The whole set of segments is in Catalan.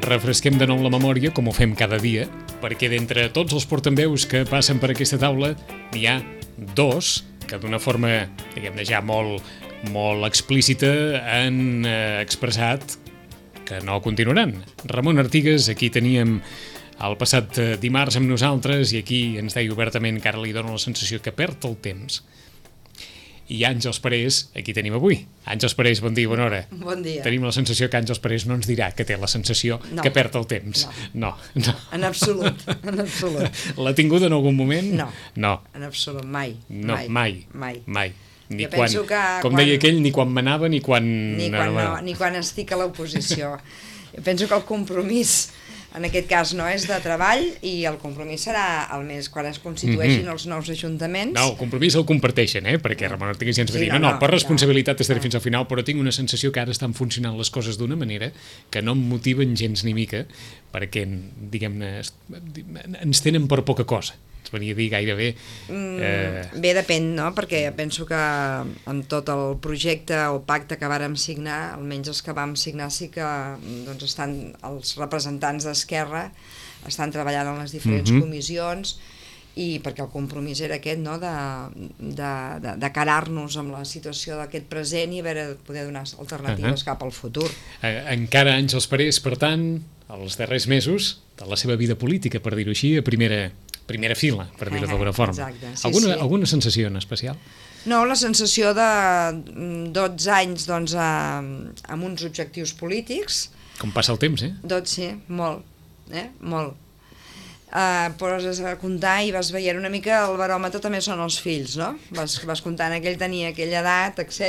refresquem de nou la memòria, com ho fem cada dia, perquè d'entre tots els portaveus que passen per aquesta taula n'hi ha dos que d'una forma, diguem-ne, ja molt explícita han expressat que no continuaran. Ramon Artigas, aquí teníem el passat dimarts amb nosaltres i aquí ens deia obertament que ara li dona la sensació que perd el temps. I Àngels Parés, aquí tenim avui. Àngels Parés, bon dia, bona hora. Bon dia. Tenim la sensació que Àngels Parés no ens dirà que té la sensació que perd el temps. No. En absolut, en absolut. L'ha tingut en algun moment? No. En absolut, mai. No, mai. Ni jo quan, com deia aquell, ni quan manava ni quan... Ni quan estic a l'oposició. Jo penso que el compromís en aquest cas no és de treball i el compromís serà el mes quan es constitueixin els nous ajuntaments. No, el compromís el comparteixen, perquè Ramon Artigas ja ens va dir per responsabilitat estaré fins al final, però tinc una sensació que ara estan funcionant les coses d'una manera que no em motiven gens ni mica perquè, diguem-ne, ens tenen per poca cosa. Ens venia a dir gairebé... Bé, depèn, no? Perquè penso que amb tot el projecte o pacte que vàrem signar, almenys els que vam signar sí que estan els representants d'Esquerra estan treballant en les diferents comissions i perquè el compromís era aquest, no? de carar-nos amb la situació d'aquest present i a veure, poder donar alternatives cap al futur. Encara Àngels Parés, per tant, els darrers mesos de la seva vida política, per dir-ho així, a primera fila, per dir-ho d'alguna forma. Exacte, sí. Alguna sensació en especial? No, la sensació de 12 anys amb uns objectius polítics. Com passa el temps, Sí, molt. Poses a comptar i vas veient una mica el baròmetre també són els fills, no? Vas comptant que ell tenia aquella edat, etc.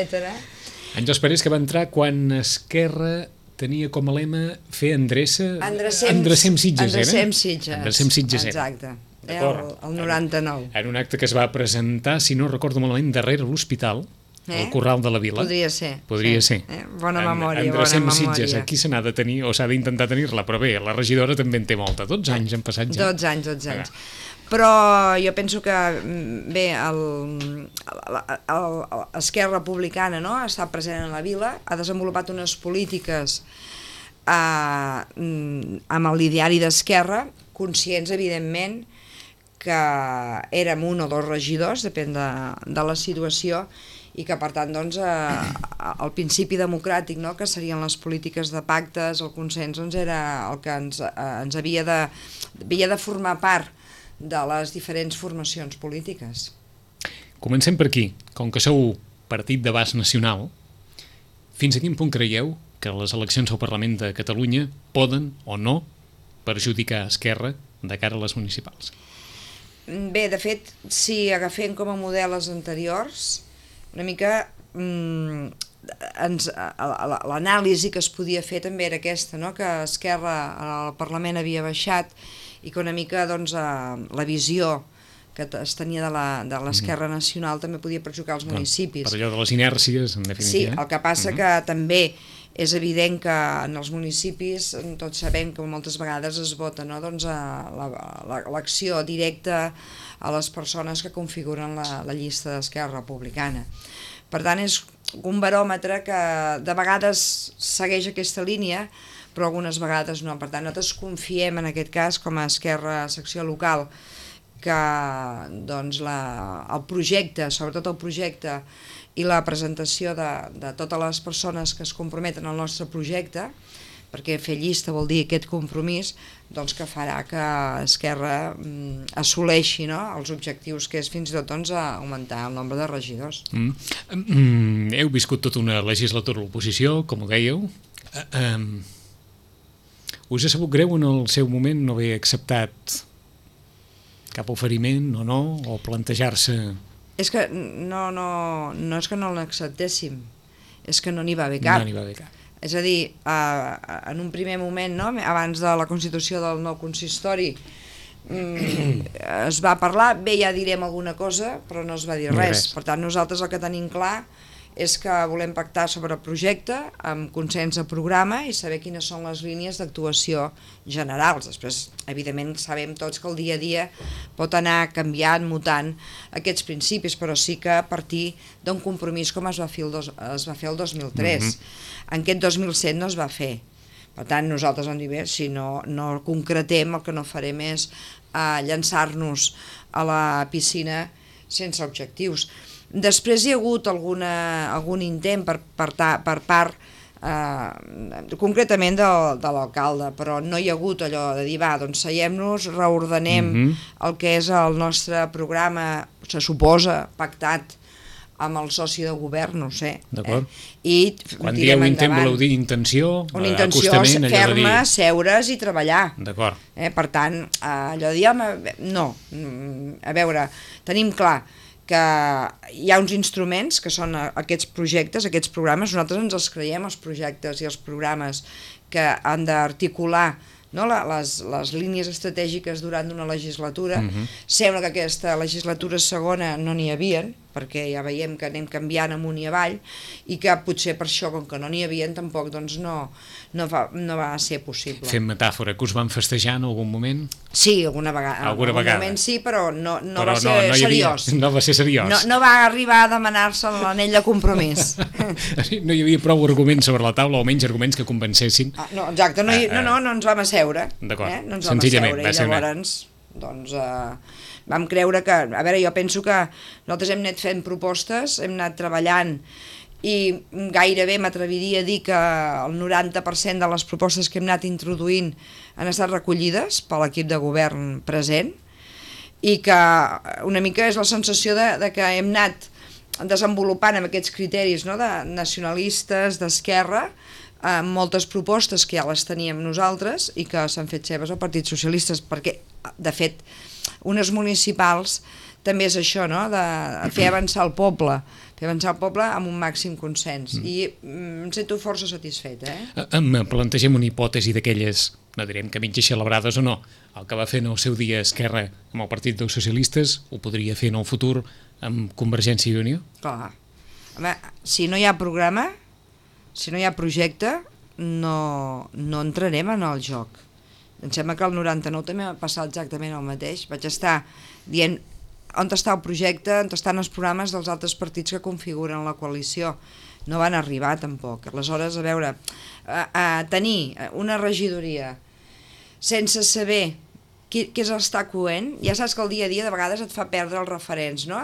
Àngels Parés, que va entrar quan Esquerra tenia com a lema fer endrecem Sitges, Endrecem Sitges, exacte. El 99. En un acte que es va presentar, si no recordo malament, darrere l'hospital, al Corral de la Vila. Podria ser. Bona memòria. Endrecem Sitges, aquí se n'ha de tenir, o s'ha d'intentar tenir-la, però bé, la regidora també en té molta. 12 anys han passat ja. 12 anys. Però jo penso que, bé, Esquerra Republicana està present en la Vila, ha desenvolupat unes polítiques amb l'ideari d'Esquerra, conscients, evidentment, que érem un o dos regidors, depèn de la situació, i que, per tant, el principi democràtic, que serien les polítiques de pactes, el consens, era el que ens havia de formar part de les diferents formacions polítiques. Comencem per aquí. Com que sou partit d'abast nacional, fins a quin punt creieu que les eleccions al Parlament de Catalunya poden o no perjudicar Esquerra de cara a les municipals? Bé, de fet, si agafem com a model els anteriors, una mica l'anàlisi que es podia fer també era aquesta, que Esquerra al Parlament havia baixat i que una mica la visió que es tenia de l'Esquerra Nacional també podia perjudicar els municipis. Per allò de les inèrcies, en definitiva. Sí, el que passa que també és evident que en els municipis tots sabem que moltes vegades es vota l'acció directa a les persones que configuren la llista d'Esquerra Republicana. Per tant, és un baròmetre que de vegades segueix aquesta línia, però algunes vegades no. Per tant, nosaltres confiem en aquest cas, com a Esquerra secció local, que el projecte, sobretot el projecte, i la presentació de totes les persones que es comprometen al nostre projecte, perquè fer llista vol dir aquest compromís, que farà que Esquerra assoleixi els objectius que és fins i tot augmentar el nombre de regidors. Heu viscut tota una legislatura a l'oposició, com ho dèieu. Us ha sabut greu en el seu moment no haver acceptat cap oferiment o no, o plantejar-se... És que no és que no l'acceptéssim, és que no n'hi va haver cap. És a dir, en un primer moment, abans de la constitució del nou consistori, es va parlar, bé, ja direm alguna cosa, però no es va dir res. Per tant, nosaltres el que tenim clar és que volem pactar sobre el projecte amb consens de programa i saber quines són les línies d'actuació generals. Després, evidentment, sabem tots que el dia a dia pot anar canviant, mutant aquests principis, però sí que a partir d'un compromís com es va fer el 2003. En aquest 2007 no es va fer. Per tant, nosaltres hem dit, bé, si no concretem, el que no farem és llançar-nos a la piscina sense objectius. Després hi ha hagut algun intent per part concretament de l'alcalde, però no hi ha hagut allò de dir, va, doncs seiem-nos, reordenem el que és el nostre programa, se suposa, pactat amb el soci de govern, no sé. D'acord. I quan dieu intent, voleu dir intenció? Una intenció ferma, seure's i treballar. D'acord. Per tant, allò de dir, home, no. A veure, tenim clar que hi ha uns instruments que són aquests projectes, aquests programes, nosaltres ens els creiem, els projectes i els programes que han d'articular les línies estratègiques durant una legislatura. Sembla que aquesta legislatura segona no n'hi havien, perquè ja veiem que anem canviant amunt i avall, i que potser per això, com que no n'hi havien, tampoc doncs, no va ser possible. Fem metàfora, que us van festejar en algun moment? Sí, alguna vegada. En algun moment sí, però no va ser seriós. No va ser seriós. No va arribar a demanar-se l'anell de compromís. No hi havia prou arguments sobre la taula, o menys arguments que convencessin. No, exacte, no ens vam asseure. D'acord, no ens vam asseure, i llavors doncs, vam creure que, a veure, jo penso que nosaltres hem anat fent propostes, hem anat treballant, i gairebé m'atreviria a dir que el 90% de les propostes que hem anat introduint han estat recollides per l'equip de govern present, i que una mica és la sensació de que hem anat desenvolupant amb aquests criteris, no?, de nacionalistes, d'esquerra, moltes propostes que ja les teníem nosaltres i que s'han fet seves al Partit Socialista, perquè, de fet, unes municipals també és això, no?, de fer avançar el poble amb un màxim consens, i em sento força satisfet. Em plantegem una hipòtesi d'aquelles, no direm que mitges celebrades o no, el que va fer en el seu dia Esquerra amb el Partit dels Socialistes ho podria fer en el futur amb Convergència i Unió? Clar. Home, si no hi ha programa, si no hi ha projecte, no entrarem en el joc. Em sembla que el 99 també va passar exactament el mateix. Vaig estar dient on està el projecte, on estan els programes dels altres partits que configuren la coalició. No van arribar tampoc. Aleshores, a veure, tenir una regidoria sense saber què s'està coent, ja saps que el dia a dia de vegades et fa perdre els referents, no?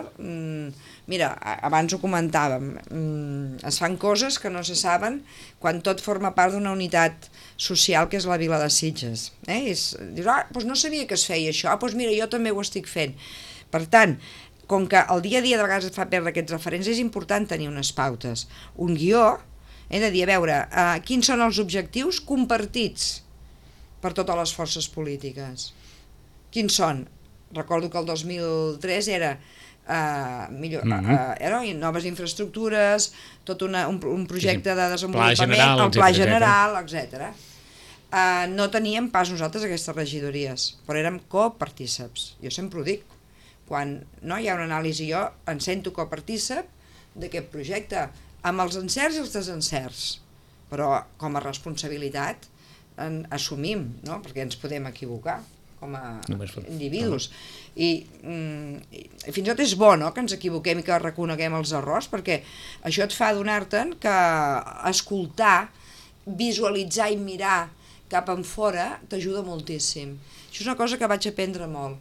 Mira, abans ho comentàvem, es fan coses que no se saben quan tot forma part d'una unitat social que és la Vila de Sitges. Dius, doncs no sabia que es feia això, doncs mira, jo també ho estic fent. Per tant, com que el dia a dia de vegades et fa perdre aquests referents, és important tenir unes pautes, un guió, de dir, a veure, quins són els objectius compartits per totes les forces polítiques. Quins són? Recordo que el 2003 era noves infraestructures, tot un projecte de desenvolupament, el pla general, etc. No teníem pas nosaltres aquestes regidories, però érem copartíceps. Jo sempre ho dic, quan hi ha una anàlisi, jo em sento copartícep d'aquest projecte, amb els encerts i els desencerts, però com a responsabilitat assumim, no? Perquè ens podem equivocar com a individus, i fins i tot és bo, no?, que ens equivoquem i que reconeguem els errors, perquè això et fa adonar-te'n que escoltar, visualitzar i mirar cap enfora t'ajuda moltíssim. Això és una cosa que vaig aprendre molt.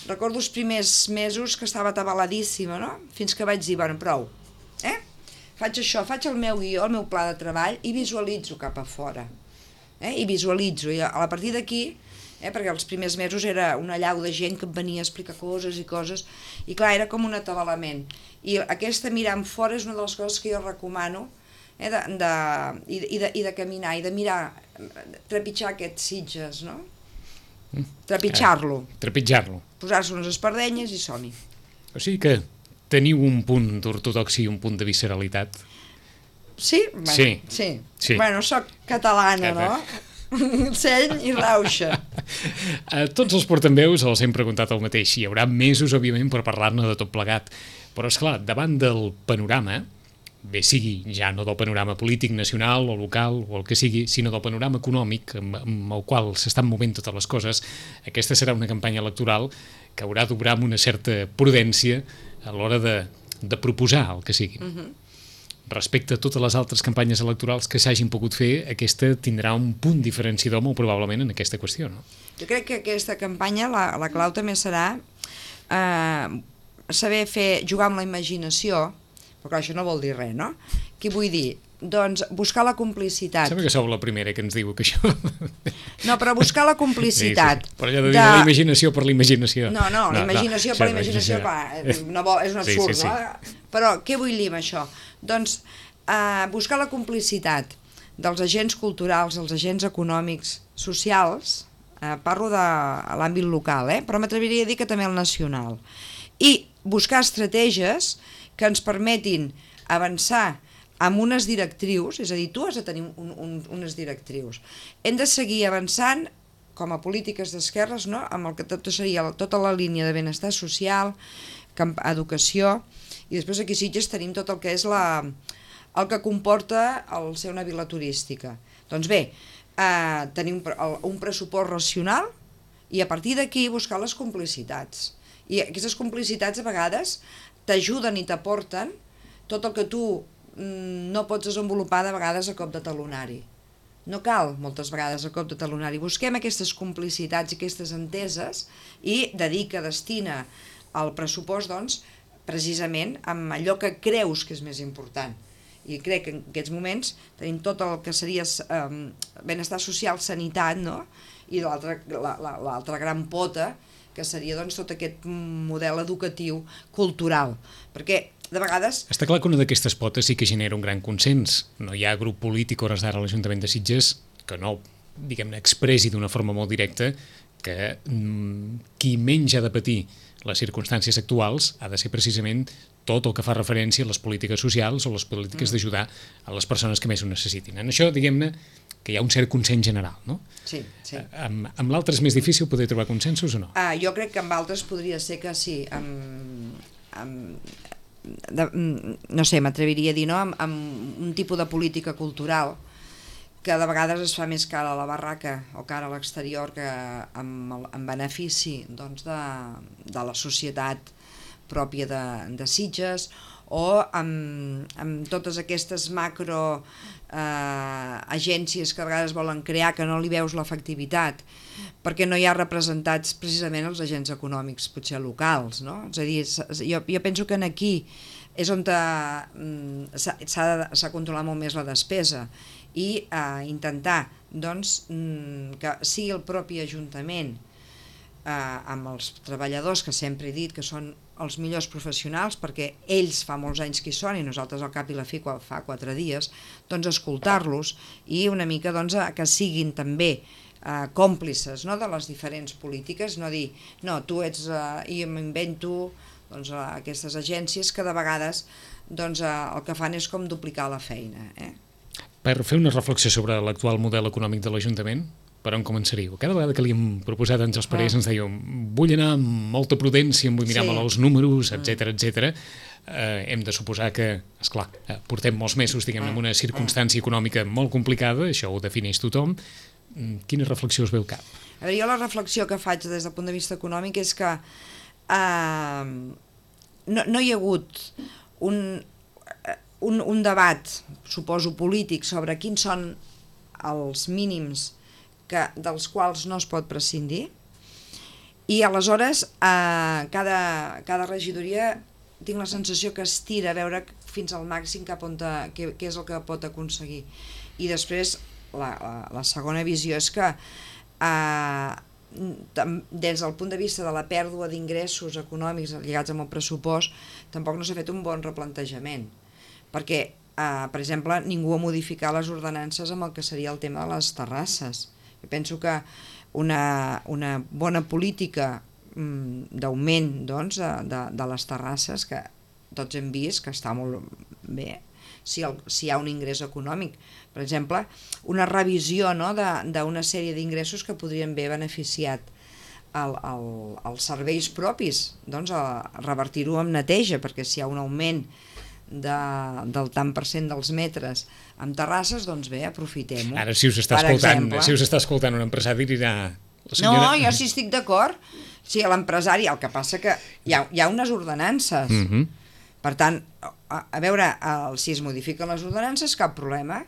Recordo els primers mesos que estava atabaladíssima, no?, fins que vaig dir, bueno, prou, faig això, faig el meu guió, el meu pla de treball, i visualitzo cap a fora, i visualitzo, i a partir d'aquí, perquè els primers mesos era una allau de gent que em venia a explicar coses, i clar, era com un atabalament. I aquesta mirar en fora és una de les coses que jo recomano, i de caminar, i de mirar, trepitjar aquests Sitges, no? Trepitjar-lo. Posar-se unes espardenyes i som-hi. O sigui que teniu un punt d'ortodoxia i un punt de visceralitat. Sí? Sí. Bueno, soc catalana, no? Seny i rauxa. A tots els portaveus els hem preguntat el mateix. Hi haurà mesos, òbviament, per parlar-ne de tot plegat. Però, esclar, davant del panorama, bé sigui ja no del panorama polític nacional o local o el que sigui, sinó del panorama econòmic amb el qual s'estan movent totes les coses, aquesta serà una campanya electoral que haurà d'obrar amb una certa prudència a l'hora de proposar el que sigui. respecte a totes les altres campanyes electorals que s'hagin pogut fer, aquesta tindrà un punt diferenciador molt probablement en aquesta qüestió, no? Jo crec que aquesta campanya, la clau també serà saber jugar amb la imaginació, però clar, això no vol dir res, no? Què vull dir? Doncs buscar la complicitat. Sembla que sou la primera que ens diu que això... No, però buscar la complicitat. Sí. Però allò de dir la imaginació per la imaginació. No, la imaginació per la imaginació, és un absurd, sí. No? Però què vull dir amb això? Doncs buscar la complicitat dels agents culturals, els agents econòmics, socials, parlo de l'àmbit local, però m'atreviria a dir que també el nacional, i buscar estratègies que ens permetin avançar amb unes directrius, és a dir, tu has de tenir unes directrius. Hem de seguir avançant com a polítiques d'esquerres, no? Amb el que tot seria tota la línia de benestar social, educació, i després aquí a Sitges tenim tot el que és el que comporta el ser una vila turística. Doncs bé, tenim un pressupost racional i a partir d'aquí buscar les complicitats. I aquestes complicitats a vegades t'ajuden i t'aporten tot el que tu no pots desenvolupar de vegades a cop de talonari. No cal moltes vegades a cop de talonari. Busquem aquestes complicitats i aquestes enteses i destina el pressupost, doncs, precisament amb allò que creus que és més important. I crec que en aquests moments tenim tot el que seria benestar social, sanitat, no? I l'altra gran pota que seria doncs, tot aquest model educatiu cultural. Perquè de vegades... Està clar que una d'aquestes potes sí que genera un gran consens. No hi ha grup polític hores d'ara a l'Ajuntament de Sitges que no, diguem-ne, expressi d'una forma molt directa que qui menys ha de patir les circumstàncies actuals ha de ser precisament tot el que fa referència a les polítiques socials o les polítiques d'ajudar a les persones que més ho necessitin. En això, diguem-ne, que hi ha un cert consens general, no? Sí. Amb l'altre és més difícil poder trobar consensos o no? Jo crec que amb altres podria ser que sí, no sé, m'atreviria a dir, no? Amb un tipus de política cultural que de vegades es fa més cara a la barraca o cara a l'exterior que en benefici doncs, de la societat pròpia de Sitges, o amb totes aquestes macro agències que a vegades volen crear que no li veus l'efectivitat perquè no hi ha representats precisament els agents econòmics potser locals, no? És a dir, jo penso que aquí és on s'ha de controlar molt més la despesa i intentar doncs, que sigui el propi Ajuntament amb els treballadors, que sempre he dit que són els millors professionals perquè ells fa molts anys que hi són i nosaltres al cap i la fi fa 4 dies, doncs escoltar-los i una mica doncs, que siguin també còmplices, no, de les diferents polítiques, no dir, no, tu ets i m'invento doncs, aquestes agències que de vegades doncs, el que fan és com duplicar la feina. Per fer una reflexió sobre l'actual model econòmic de l'Ajuntament, per on començaríeu? Cada vegada que li hem proposat ens els parers ens dèieu vull anar amb molta prudència, em vull mirar molt els números, etc. Hem de suposar que, esclar, portem molts mesos, diguem-ne, en una circumstància econòmica molt complicada, això ho defineix tothom. Quina reflexió us ve al cap? A veure, jo la reflexió que faig des del punt de vista econòmic és que no hi ha hagut un debat, suposo, polític sobre quins són els mínims dels quals no es pot prescindir, i aleshores cada regidoria tinc la sensació que estira a veure fins al màxim cap on què és el que pot aconseguir. I després la segona visió és que des del punt de vista de la pèrdua d'ingressos econòmics lligats amb el pressupost tampoc no s'ha fet un bon replantejament, perquè per exemple ningú ha modificat les ordenances amb el que seria el tema de les terrasses. Jo penso que una bona política d'augment doncs, de les terrasses, que tots hem vist que està molt bé si hi ha un ingrés econòmic. Per exemple, una revisió, no, d'una sèrie d'ingressos que podrien haver beneficiat els serveis propis, doncs revertir-ho amb neteja, perquè si hi ha un augment del tant per cent dels metres amb terrasses, doncs bé, aprofitem-ho. Ara, si us està escoltant un empresari, dirà... No, jo sí estic d'acord. Sí, l'empresari, el que passa que hi ha unes ordenances. Per tant, a veure, si es modifiquen les ordenances, cap problema,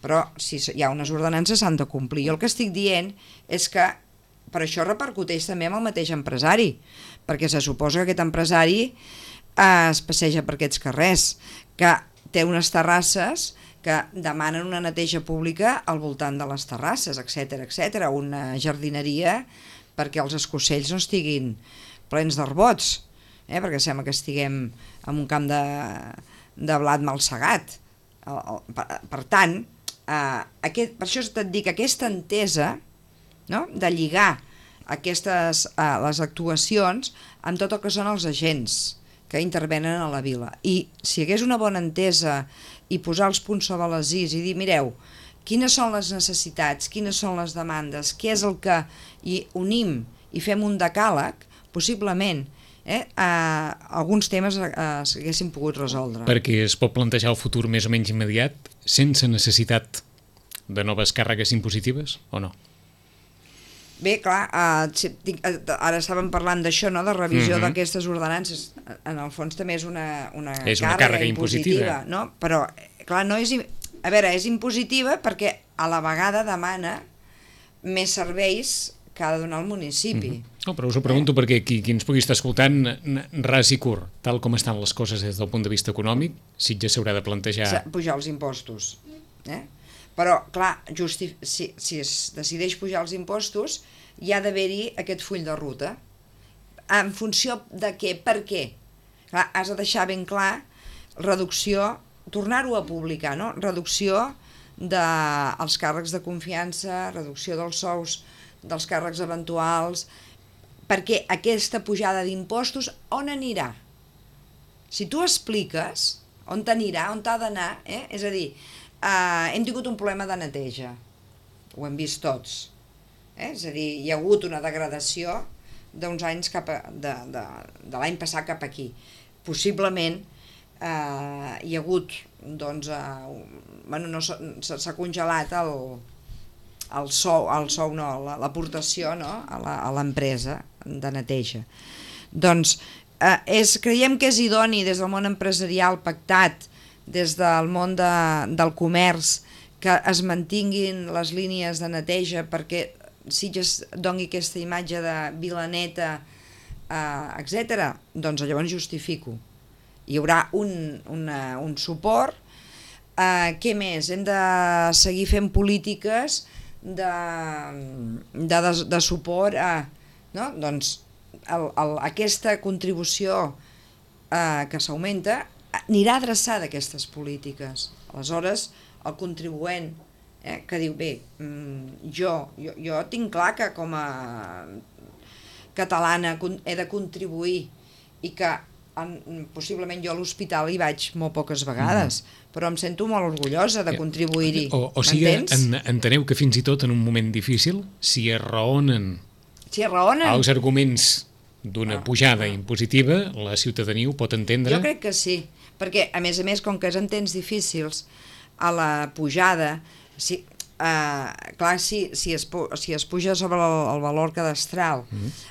però si hi ha unes ordenances s'han de complir. Jo el que estic dient és que per això repercuteix també amb el mateix empresari, perquè se suposa que aquest empresari es passeja per aquests carrers, que té unes terrasses que demanen una neteja pública al voltant de les terrasses, etc etc, una jardineria perquè els escocells no estiguin plens d'arbots, perquè sembla que estiguem en un camp de blat mal segat. Per tant, per això et dic, aquesta entesa, no?, de lligar les actuacions amb tot el que són els agents que intervenen a la vila. I si hi hagués una bona entesa i posar els punts sobre les is i dir, mireu, quines són les necessitats, quines són les demandes, què és el que hi unim i fem un decàleg, possiblement alguns temes s'haguessin pogut resoldre. Perquè es pot plantejar el futur més o menys immediat sense necessitat de noves càrregues impositives o no? Bé, clar, ara estàvem parlant d'això, no?, de revisió d'aquestes ordenances. En el fons també és una càrrega impositiva, no? Però, clar, no és... A veure, és impositiva perquè a la vegada demana més serveis que ha de donar el municipi. No, però us ho pregunto perquè qui ens pugui estar escoltant, ras i curt, tal com estan les coses des del punt de vista econòmic, Sitges s'haurà de plantejar... Pujar els impostos, Però, clar, si es decideix pujar els impostos, hi ha d'haver-hi aquest full de ruta. En funció de què? Per què? Clar, has de deixar ben clar reducció, tornar-ho a publicar, no? Reducció dels càrrecs de confiança, reducció dels sous dels càrrecs eventuals, perquè aquesta pujada d'impostos on anirà? Si tu expliques on t'anirà, on t'ha d'anar, és a dir, hem tingut un problema de neteja, ho hem vist tots, és a dir, hi ha hagut una degradació d'uns anys de l'any passat cap aquí. Possiblement hi ha hagut, doncs, s'ha congelat l'aportació a l'empresa de neteja. Doncs creiem que és idoni des del món empresarial pactat, des del món del comerç, que es mantinguin les línies de neteja perquè Sitges doni aquesta imatge de vila neta, etc. Doncs llavors justifico. Hi haurà un suport. Què més? Hem de seguir fent polítiques de suport a... Doncs aquesta contribució que s'augmenta anirà adreçada a aquestes polítiques. Aleshores, el contribuent que diu, bé, jo tinc clar que com a catalana he de contribuir i que possiblement jo a l'hospital hi vaig molt poques vegades, però em sento molt orgullosa de contribuir-hi. O sigui, enteneu que fins i tot en un moment difícil, si es raonen els arguments d'una pujada impositiva, la ciutadania ho pot entendre? Jo crec que sí, perquè a més, com que és en temps difícils, a la pujada, clar, si es puja sobre el valor cadastral,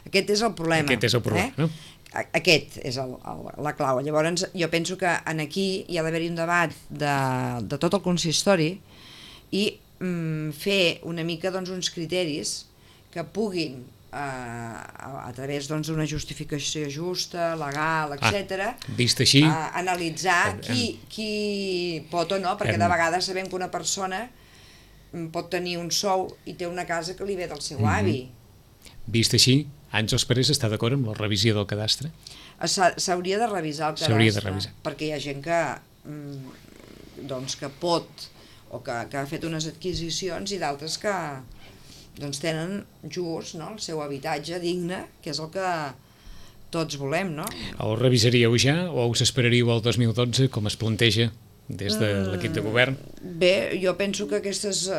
aquest és el problema. Aquest és el problema, no? Aquest és la clau. Llavors jo penso que aquí hi ha d'haver-hi un debat de tot el consistori i fer una mica uns criteris que puguin a través d'una justificació justa, legal, etc. Vist així, analitzar qui pot o no, perquè de vegades sabem que una persona pot tenir un sou i té una casa que li ve del seu avi. Vist així, Àngels Parés està d'acord amb la revisió del cadastre? S'hauria de revisar el cadastre, perquè hi ha gent que pot o que ha fet unes adquisicions i d'altres que tenen just el seu habitatge digne, que és el que tots volem, no? El revisaríeu ja o us esperaríeu al 2012, com es planteja des de l'equip de govern? Bé, jo penso que aquestes...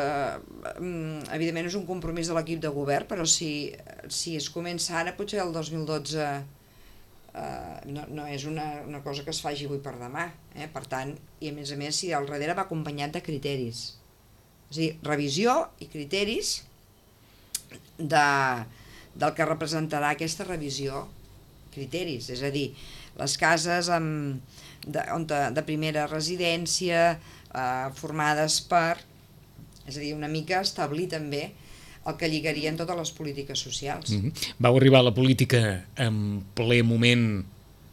evidentment és un compromís de l'equip de govern, però si es comença ara, potser el 2012 no és una cosa que es faci avui per demà. Per tant, i a més, si al darrere va acompanyat de criteris. És a dir, revisió i criteris del que representarà aquesta revisió, criteris, és a dir, les cases de primera residència, formades per... És a dir, una mica establir també el que lligarien totes les polítiques socials. Vau arribar a la política en ple moment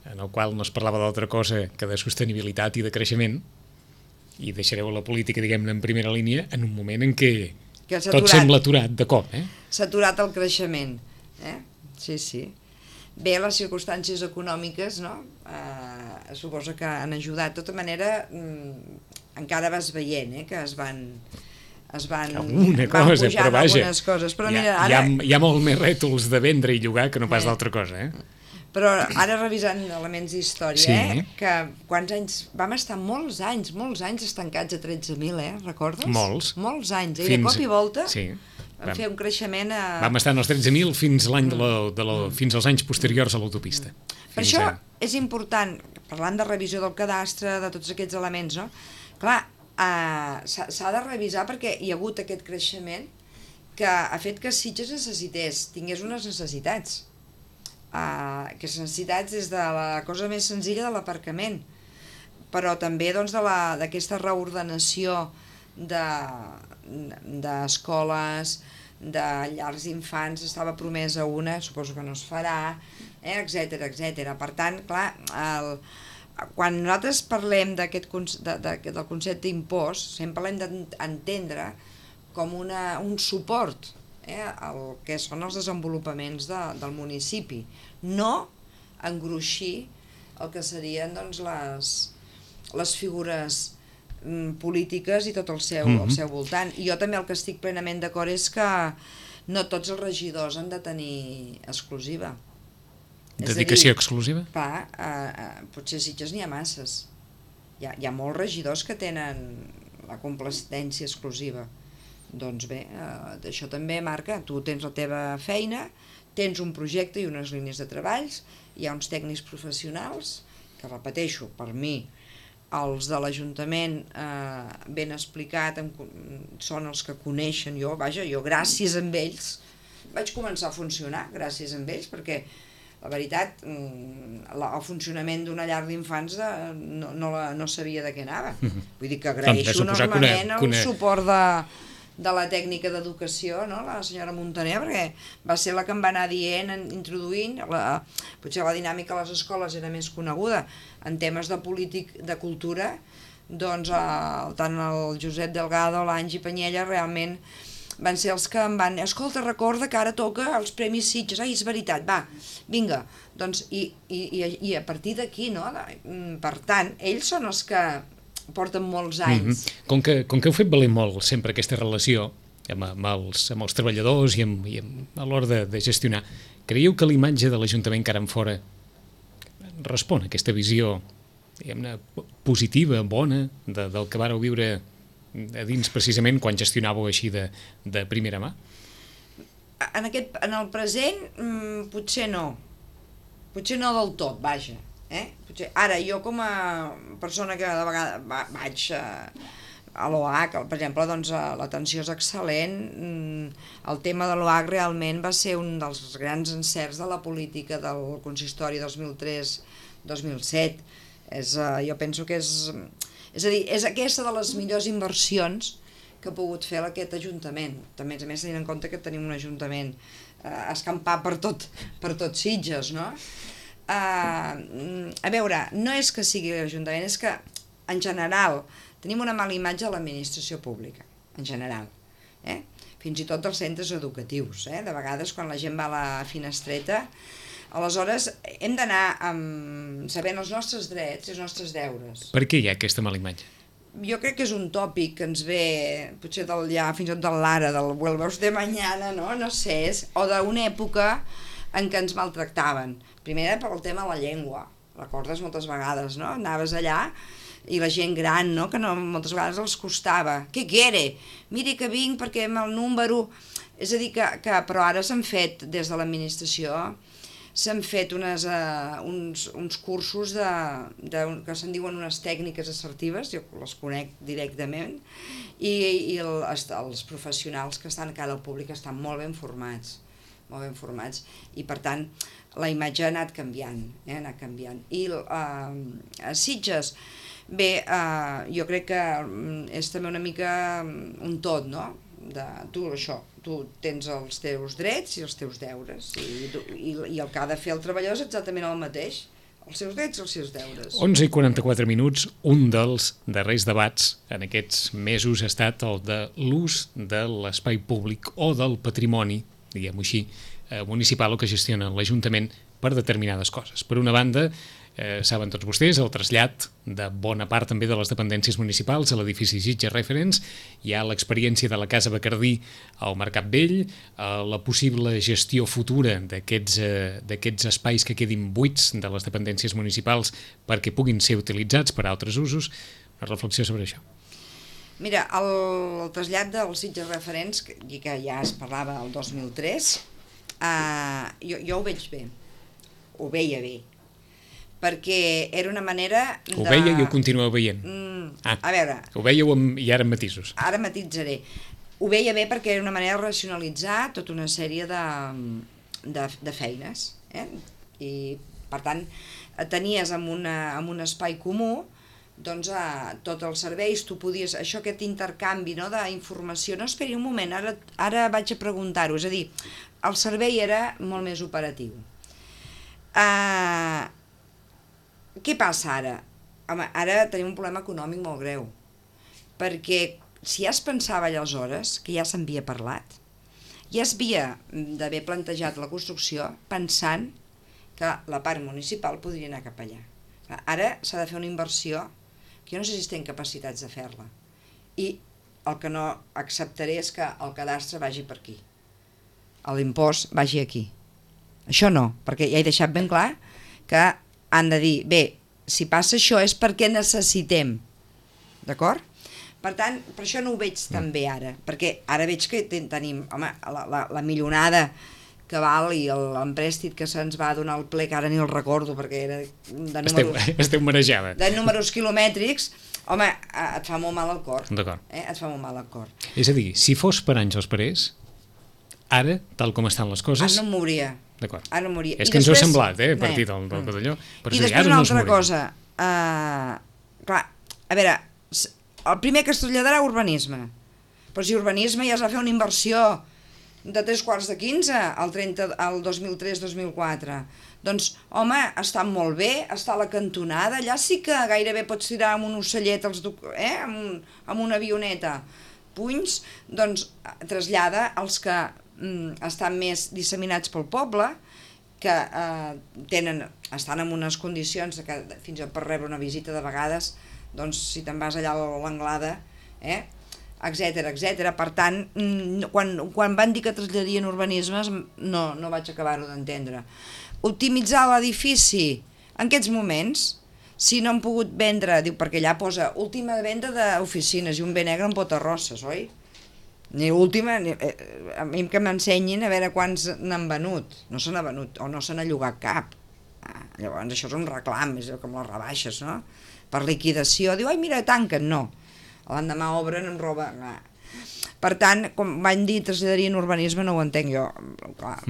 en el qual no es parlava d'altra cosa que de sostenibilitat i de creixement, i deixareu la política, diguem-ne, en primera línia en un moment en què tot sembla aturat de cop. S'ha aturat el creixement. Sí. Bé, les circumstàncies econòmiques, no? Suposo que han ajudat. De tota manera, encara vas veient que van pujant algunes coses. Però mira, ara... Hi ha molt més rètols de vendre i llogar que no pas d'altra cosa. Però ara revisant elements d'història, que quants anys... Vam estar molts anys estancats a 13.000, recordes? Molts anys. I de cop i volta vam fer un creixement... Vam estar en els 13.000 fins als anys posteriors a l'autopista. Per això és important, parlant de revisió del cadastre, de tots aquests elements, no? Clar, s'ha de revisar perquè hi ha hagut aquest creixement que ha fet que Sitges tingués unes necessitats. Aquestes necessitats des de la cosa més senzilla de l'aparcament, però també d'aquesta reordenació d'escoles, de llars d'infants, estava promesa una, suposo que no es farà, etc. Per tant, clar, quan nosaltres parlem del concepte impost, sempre l'hem d'entendre com un suport el que són els desenvolupaments del municipi, no engruixir el que serien les figures polítiques i tot el seu voltant. I jo també el que estic plenament d'acord és que no tots els regidors han de tenir exclusiva. Dedicació exclusiva? Clar, potser a Sitges n'hi ha masses. Hi ha molts regidors que tenen la competència exclusiva. Doncs bé, això també marca, tu tens la teva feina, tens un projecte i unes línies de treballs, hi ha uns tècnics professionals, que repeteixo, per mi, els de l'Ajuntament ben explicat, són els que coneixen, jo gràcies a ells vaig començar a funcionar, gràcies a ells, perquè la veritat, el funcionament d'una llar d'infants no sabia de què anava. Vull dir que agraeixo enormement el suport de la tècnica d'educació, la senyora Montaner, perquè va ser la que em va anar dient, introduint, potser la dinàmica a les escoles era més coneguda, en temes de cultura, doncs tant el Josep Delgado, l'Angi Panyella, realment van ser els que em van... Escolta, recorda que ara toca els Premis Sitges. Ai, és veritat, va, vinga. Doncs, i a partir d'aquí, no? Per tant, ells són els que porten molts anys. Com que heu fet valer molt sempre aquesta relació amb els treballadors i a l'hora de gestionar, creieu que l'imatge de l'Ajuntament cara enfora respon a aquesta visió, diguem-ne, positiva, bona, del que vareu viure a dins precisament quan gestionàveu així de primera mà? En el present potser no del tot, vaja. Ara jo com a persona que de vegades vaig a l'OAC, per exemple, doncs l'atenció és excel·lent, el tema de l'OAC realment va ser un dels grans encerts de la política del consistori 2003-2007, jo penso que és a dir, és aquesta de les millors inversions que ha pogut fer aquest Ajuntament. També, a més, tenint en compte que tenim un Ajuntament escampat per tot Sitges, no? A veure, no és que sigui l'Ajuntament, és que, en general, tenim una mala imatge a l'administració pública, en general. Fins i tot dels centres educatius. De vegades, quan la gent va a la finestreta, aleshores hem d'anar sabent els nostres drets i els nostres deures. Per què hi ha aquesta mala imatge? Jo crec que és un tòpic que ens ve, potser fins i tot de l'ara, del vuelvos de mañana, no sé, o d'una època en què ens maltractaven. Primer pel tema de la llengua, recordes moltes vegades, no? Anaves allà i la gent gran, no? Que moltes vegades els costava. Què quiere? Miri que vinc perquè amb el número... És a dir, però ara s'han fet des de l'administració, s'han fet uns cursos que se'n diuen unes tècniques assertives, jo les conec directament, i els professionals que estan a cara al públic estan molt ben formats. molt ben formats, i per tant la imatge ha anat canviant, I a Sitges, bé, jo crec que és també una mica un tot, no? Tu tens els teus drets i els teus deures, i el que ha de fer el treballador és exactament el mateix, els seus drets i els seus deures. 11:44, un dels darrers debats en aquests mesos ha estat el de l'ús de l'espai públic o del patrimoni, diguem-ho així, municipal o que gestiona l'Ajuntament per determinades coses. Per una banda, saben tots vostès, el trasllat de bona part també de les dependències municipals a l'edifici Sitges Reference. Hi ha l'experiència de la Casa Bacardí al Mercat Vell, la possible gestió futura d'aquests espais que quedin buits de les dependències municipals perquè puguin ser utilitzats per a altres usos. Una reflexió sobre això. Mira, el trasllat del Sitges Reference, que ja es parlava el 2003, jo ho veig bé, ho veia bé, perquè era una manera de... Ho veia i ho continueu veient? A veure... Ho veieu i ara amb matisos? Ara matitzaré. Ho veia bé perquè era una manera de racionalitzar tota una sèrie de feines, I, per tant, tenies en un espai comú doncs tots els serveis, tu podies... Això, aquest intercanvi, no, d'informació... No, esperi un moment, ara vaig a preguntar-ho. És a dir, el servei era molt més operatiu. Què passa ara? Home, ara tenim un problema econòmic molt greu, perquè si ja es pensava aleshores, que ja s'havia parlat, ja es havia d'haver plantejat la construcció pensant que la part municipal podria anar cap allà. Ara s'ha de fer una inversió que jo no sé si estem capacitats de fer-la, i el que no acceptaré és que el cadastre vagi per aquí, l'impost vagi aquí. Això no, perquè ja he deixat ben clar que han de dir, bé, si passa això és perquè necessitem, d'acord? Per tant, per això no ho veig tan bé ara, perquè ara veig que tenim, home, la milionada que val i l'emprèstit que se'ns va donar al ple, que ara ni el recordo perquè era de números... Esteu marejada. De números quilomètrics, home, et fa molt mal al cor. D'acord. Et fa molt mal al cor. És a dir, si fos per Àngels Parés, ara, tal com estan les coses... Ara no em mouria. D'acord. Ara moria. És que ens ho ha semblat, a partir del cotelló. I després una altra cosa. Clar, a veure, el primer que es traslladarà urbanisme. Però si urbanisme ja es va fer una inversió de 3/4 al 2003-2004. Doncs, home, està molt bé, està a la cantonada, allà sí que gairebé pots tirar amb un ocellet, amb una avioneta, punys, doncs trasllada els que estan més disseminats pel poble, que estan en unes condicions que fins per rebre una visita de vegades, doncs si te'n vas allà a l'Anglada, etc. Per tant, quan van dir que traslladarien urbanismes, no vaig acabar-ho d'entendre. Optimitzar l'edifici en aquests moments, si no han pogut vendre, diu, perquè allà posa última venda d'oficines i un bé negre en potarrosses, oi? Ni última, a mi que m'ensenyin a veure quants n'han venut. No se n'ha venut, o no se n'ha llogat cap. Llavors això és un reclam, és com les rebaixes, no? Per liquidació, diu, ai mira, tanquen, no. L'endemà obren amb roba... Per tant, com van dir traslladarien urbanisme, no ho entenc jo. Clar,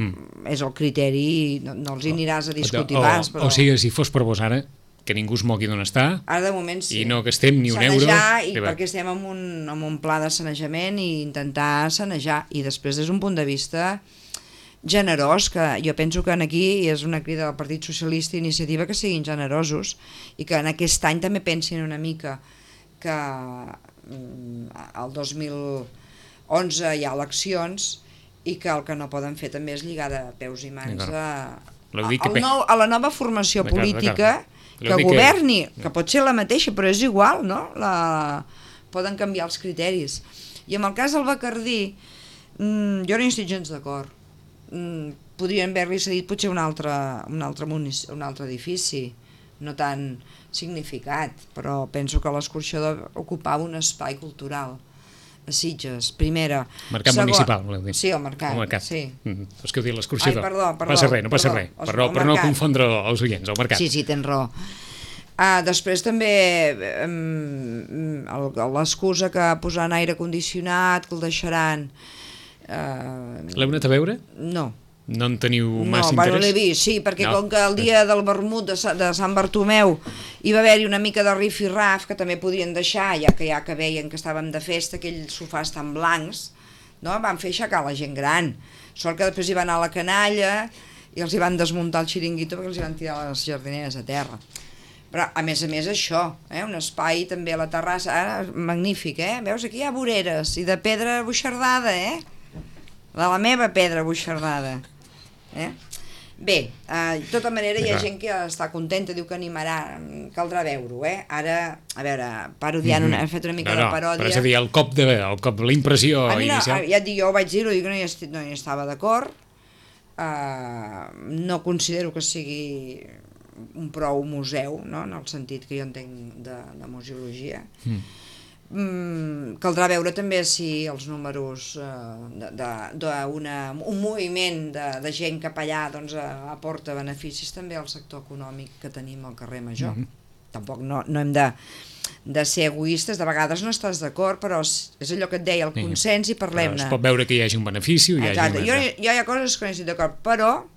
és el criteri, no els hi aniràs a discutir pas, però... O sigui, si fos per vos ara, que ningú es mogui d'on està, ara de moment sí. I no gastem ni un euro... Perquè estem en un pla de sanejament i intentar sanejar, i després des d'un punt de vista generós, que jo penso que aquí és una crida del Partit Socialista i Iniciativa que siguin generosos i que en aquest any també pensin una mica que el 2011 hi ha eleccions i que el que no poden fer també és lligar de peus i mans a la nova formació política que governi, que pot ser la mateixa, però és igual, no? Poden canviar els criteris. I en el cas del Bacardí, jo no hi estic gens d'acord. Podrien haver-li cedit potser un altre edifici, no tan significat, però penso que l'escorxador ocupava un espai cultural a Sitges, primera. Mercat municipal, voleu dir? Sí, el mercat. Sí. És que heu dit l'escorxador. Ai, perdó. No passa res. Per no confondre els oients, el mercat. Sí, tens raó. Després també l'excusa que posaran aire condicionat, que el deixaran... L'heu anat a veure? No. No en teniu massa interès? No, l'he vist, sí, perquè com que el dia del vermut de Sant Bartomeu hi va haver-hi una mica de rif-i-raf, que també podien deixar, ja que veien que estàvem de festa, aquells sofàs tan blancs, no? Van fer aixecar la gent gran. Sort que després hi va anar a la canalla i els hi van desmuntar el xiringuito perquè els hi van tirar les jardineres a terra. Però, a més, això, un espai també a la terrassa, magnífic, Veus, aquí hi ha voreres, i de pedra buixardada, de la meva pedra buixardada. Bé, de tota manera hi ha gent que està contenta, diu que animarà, caldrà veure-ho, Ara, a veure, parodiant, he fet una mica de paròdia. Però és a dir, el cop de la impressió inicial... Ja et dic, jo ho vaig dir-ho, dic que no hi estava d'acord, no considero que sigui un prou museu, no? En el sentit que jo entenc de museologia. Caldrà veure també si els números d'un moviment de gent cap allà aporta beneficis també al sector econòmic que tenim al carrer Major. Tampoc no hem de ser egoistes, de vegades no estàs d'acord, però és allò que et deia, el consens, i parlem-ne. Es pot veure que hi hagi un benefici. Exacte, jo hi ha coses que no estic d'acord, però...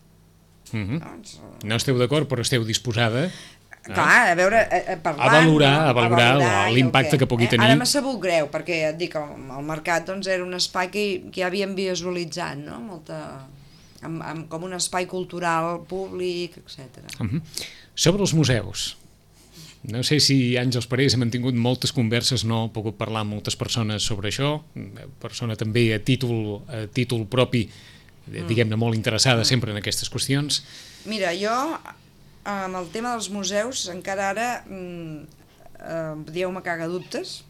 No esteu d'acord, però esteu disposada... Clar, a veure, parlant... A valorar l'impacte que pugui tenir. Ara m'ha sabut greu, perquè et dic, el mercat era un espai que ja havíem visualitzat, no? Com un espai cultural públic, etc. Sobre els museus, no sé si Àngels Parés ha mantingut moltes converses, no he pogut parlar amb moltes persones sobre això, persona també a títol propi, diguem-ne, molt interessada sempre en aquestes qüestions. Mira, jo... amb el tema dels museus encara ara dieu-me cagadubtes,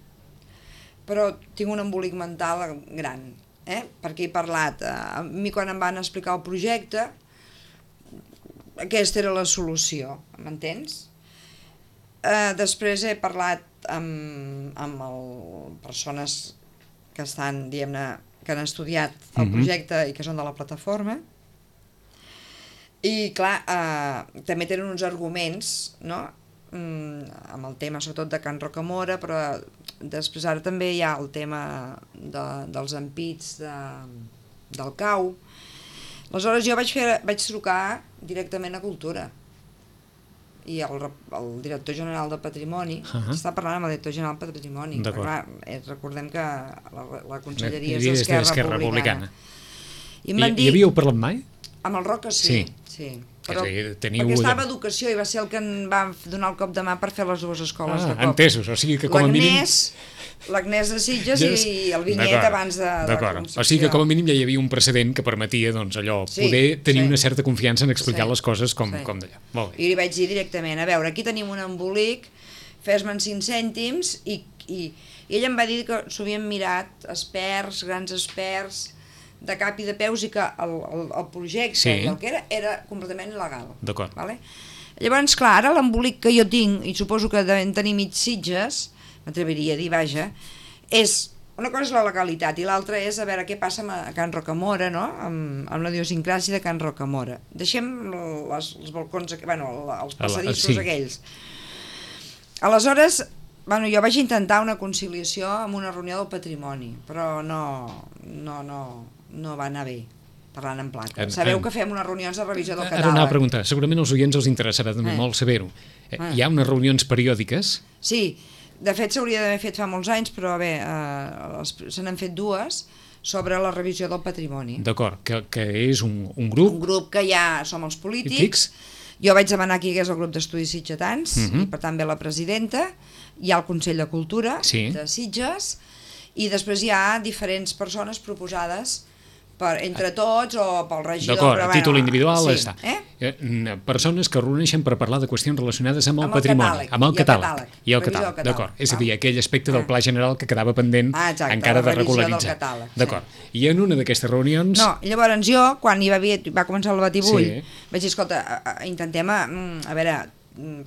però tinc un embolic mental gran, perquè he parlat, a mi quan em van explicar el projecte aquesta era la solució, m'entens? Després he parlat amb persones que estan, diguem-ne, que han estudiat el projecte i que són de la plataforma. I clar, també tenen uns arguments, no? Amb el tema sobretot de Can Rocamora, però després ara també hi ha el tema dels ampits del cau. Aleshores jo vaig trucar directament a Cultura i el director general de Patrimoni està parlant amb el director general de Patrimoni. Recordem que la conselleria és d'Esquerra Republicana. I havíeu parlat mai? Amb el Roca sí. Però, perquè estava a Educació i va ser el que em va donar el cop de mà per fer les dues escoles de cop. Entesos, o sigui que com a mínim... L'Agnès de Sitges i el Vinyet abans de la Concepció. O sigui que com a mínim ja hi havia un precedent que permetia poder tenir una certa confiança en explicar les coses com d'allà. I li vaig dir directament, a veure, aquí tenim un embolic, fes-me'n 5 cèntims, i ell em va dir que s'ho havien mirat experts, grans experts, de cap i de peus, i que el projecte i el que era completament il·legal. D'acord. Llavors, clar, ara l'embolic que jo tinc, i suposo que devem tenir mig Sitges, m'atreviria a dir, vaja, és, una cosa és la legalitat i l'altra és a veure què passa a Can Rocamora, no? Amb la idiosincràsia de Can Rocamora. Deixem els balcons, els passadissos aquells. Aleshores, jo vaig intentar una conciliació amb una reunió del patrimoni, però no va anar bé, parlant en plata. Sabeu que fem unes reunions de revisió del catàleg. Ara anava a preguntar, segurament als oients els interessarà també molt saber-ho. Hi ha unes reunions periòdiques? Sí, de fet s'hauria d'haver fet fa molts anys, però bé, se n'han fet dues sobre la revisió del patrimoni. D'acord, que és un grup... Un grup que ja som els polítics. Jo vaig demanar que hi hagués el grup d'estudis sitgetans, i per tant ve la presidenta, hi ha el Consell de Cultura de Sitges, i després hi ha diferents persones proposades entre tots o pel regidor. D'acord, a títol individual està. Persones que reuneixen per parlar de qüestions relacionades amb el patrimoni, amb el catàleg. I el catàleg, d'acord. És a dir, aquell aspecte del pla general que quedava pendent encara de regularitzar. D'acord. I en una d'aquestes reunions... No, llavors jo, quan va començar el batibull, vaig dir, escolta, intentem, a veure,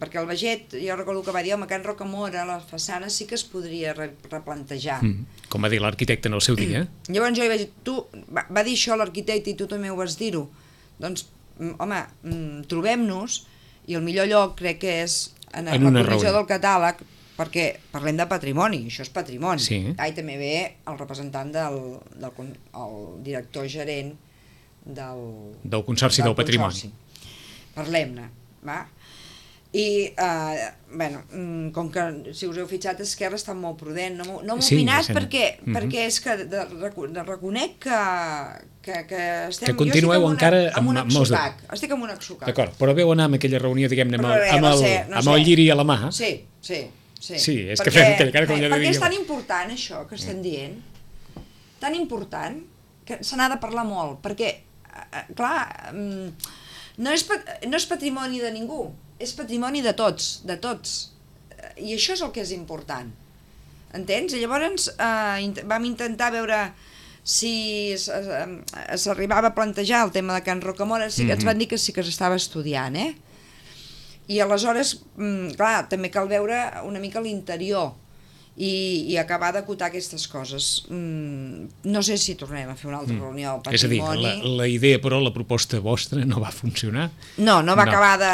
perquè el veget, jo recordo que va dir, home, Can Rocamora, la façana sí que es podria replantejar. Com va dir l'arquitecte en el seu dia. Llavors jo li vaig dir, va dir això l'arquitecte i tu també ho vas dir-ho. Doncs, home, trobem-nos, i el millor lloc crec que és en la comissió del catàleg, perquè parlem de patrimoni, això és patrimoni. I també ve el representant el director gerent del Consorci del Patrimoni. Parlem-ne, va? I, com que, si us heu fixat, Esquerra està molt prudent, no m'ho opinat perquè és que reconec que estem... Que continueu encara amb un exocac, estic amb un exocac. D'acord, però veu anar amb aquella reunió, diguem-ne, amb el lliri a la mà. Sí. Sí, és que fem aquella cara com ja perquè és tan important això que estem dient, tan important, que se n'ha de parlar molt, perquè, clar, no és patrimoni de ningú, és patrimoni de tots, i això és el que és important, entens? I llavors vam intentar veure si s'arribava a plantejar el tema de Can Rocamora, sí que ens van dir que sí que s'estava estudiant, i aleshores, clar, també cal veure una mica l'interior i acabar d'acotar aquestes coses. No sé si tornem a fer una altra reunió al patrimoni. És a dir, la idea, però, la proposta vostra no va funcionar? No vam acabar de...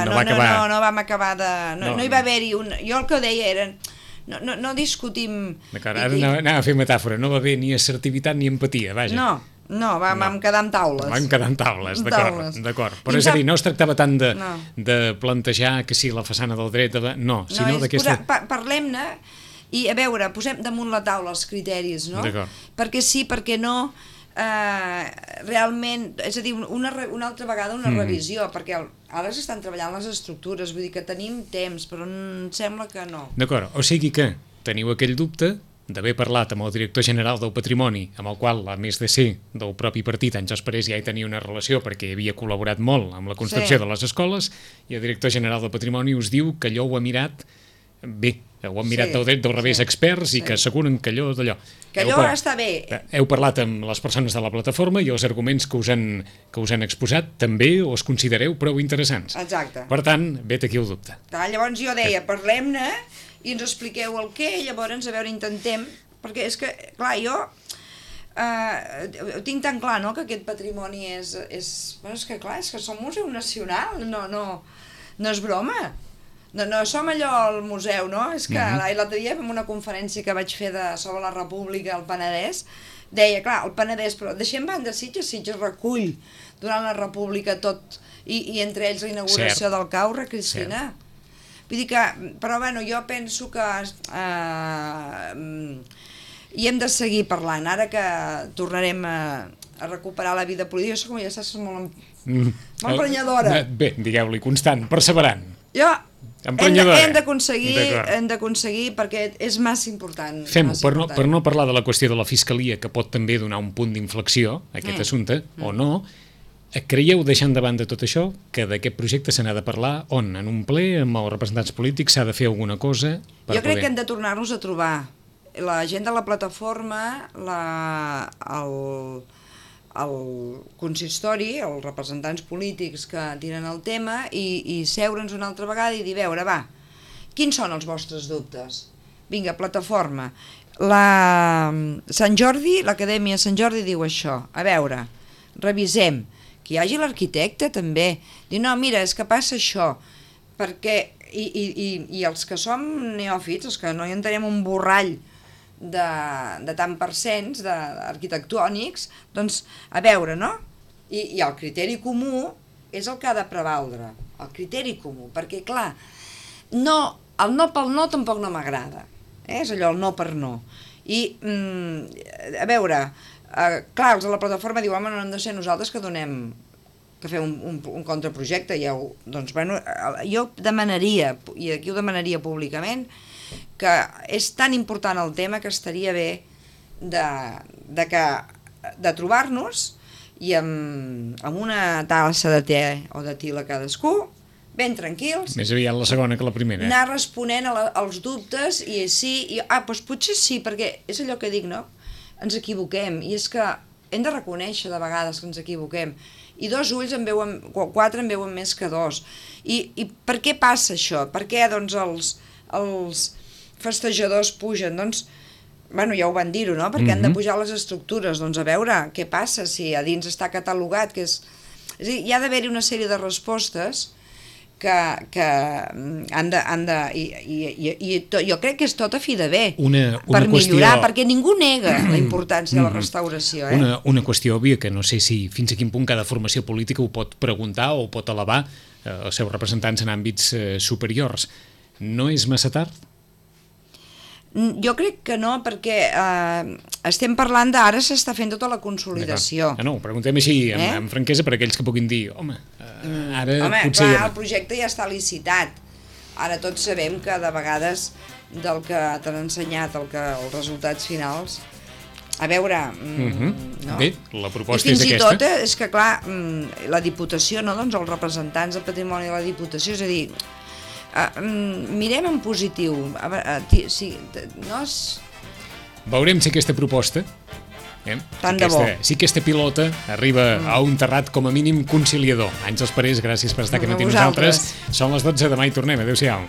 No hi va haver-hi un... Jo el que deia era... No discutim... D'acord, ara anava a fer metàfora, no va haver ni assertivitat ni empatia, vaja. No, vam quedar amb taules. Vam quedar amb taules, d'acord. Però és a dir, no es tractava tant de plantejar que sí, la façana del dret... No, sinó d'aquesta... Parlem-ne i, a veure, posem damunt la taula els criteris, no? Perquè sí, perquè no, realment, és a dir, una altra vegada una revisió, perquè ara s'estan treballant les estructures, vull dir que tenim temps, però em sembla que no. D'acord, o sigui que teniu aquell dubte d'haver parlat amb el director general del Patrimoni, amb el qual, a més de ser del propi partit, Àngels Parés ja hi tenia una relació perquè havia col·laborat molt amb la construcció de les escoles, i el director general del Patrimoni us diu que allò ho ha mirat bé, ho han mirat del dret del revés experts i que asseguren que allò d'allò. Que allò està bé. Heu parlat amb les persones de la plataforma i els arguments que us han exposat també us considereu prou interessants. Exacte. Per tant, vet aquí el dubte. Llavors jo deia, parlem-ne i ens expliqueu el què, llavors a veure, intentem, perquè és que, clar, jo tinc tan clar, no?, que aquest patrimoni és que clar, és que som museu nacional, no és broma. No som allò al museu, no? És que l'altre dia, en una conferència que vaig fer sobre la República al Penedès, deia, clar, el Penedès, però deixem banda Sitges recull durant la República tot, i entre ells la inauguració del Caure, Cristina. Vull dir que, però bueno, jo penso que hi hem de seguir parlant, ara que tornarem a recuperar la vida política. Jo com ja saps, molt emprenyadora. Bé, digueu-li, constant, perseverant. Hem d'aconseguir perquè és massa important. Fem-ho, per no parlar de la qüestió de la Fiscalia, que pot també donar un punt d'inflexió a aquest assumpte, o no, creieu, deixant de banda tot això, que d'aquest projecte se n'ha de parlar on? En un ple, amb els representants polítics, s'ha de fer alguna cosa? Jo crec que hem de tornar-nos a trobar. La gent de la plataforma, el consistori, els representants polítics que tiren el tema i seure'ns una altra vegada i dir, veure, va, quins són els vostres dubtes? Vinga, plataforma. Sant Jordi, l'Acadèmia Sant Jordi diu això, a veure, revisem, que hi hagi l'arquitecte també, dir, no, mira, és que passa això, perquè, i els que som neòfits, els que no hi entenem un borrall de tant percents arquitectònics, doncs a veure, no? I el criteri comú és el que ha de prevaldre, el criteri comú, perquè clar, el no pel no tampoc no m'agrada, és allò, el no per no. I, a veure, clar, els de la plataforma diuen, home, no hem de ser nosaltres que fem un contraprojecte, doncs, bueno, jo demanaria, i aquí ho demanaria públicament, que és tan important el tema que estaria bé de trobar-nos i amb una tassa de te o de til a cadascú, ben tranquils. Més aviat la segona que la primera. Anar responent als dubtes i sí, doncs potser sí, perquè és allò que dic, no? Ens equivoquem, i és que hem de reconèixer de vegades que ens equivoquem. I 2 ulls en veuen, 4 en veuen més que 2. I per què passa això? Per què, doncs, els festejadors pugen? Doncs, bueno, ja ho van dir-ho, no? Perquè han de pujar les estructures. Doncs a veure què passa si a dins està catalogat, que és... És a dir, hi ha d'haver-hi una sèrie de respostes que han de jo crec que és tot a fi de bé per millorar, perquè ningú nega la importància de la restauració. Una qüestió òbvia que no sé si fins a quin punt cada formació política ho pot preguntar o pot elevar els seus representants en àmbits superiors. No és massa tard? Jo crec que no, perquè estem parlant d'ara s'està fent tota la consolidació. No, preguntem així amb franquesa per aquells que puguin dir ara potser... Clar, el projecte ja està licitat. Ara tots sabem que de vegades del que t'han ensenyat els resultats finals, a veure... Bé, la proposta és aquesta. I fins i tot és que, clar, la Diputació, doncs els representants del patrimoni de la Diputació, és a dir, mirem en positiu. Veurem si aquesta proposta, si aquesta pilota arriba a un terrat com a mínim conciliador. Àngels Parés, gràcies per estar aquí amb nosaltres. Són les 12, demà hi tornem. Adéu-siau.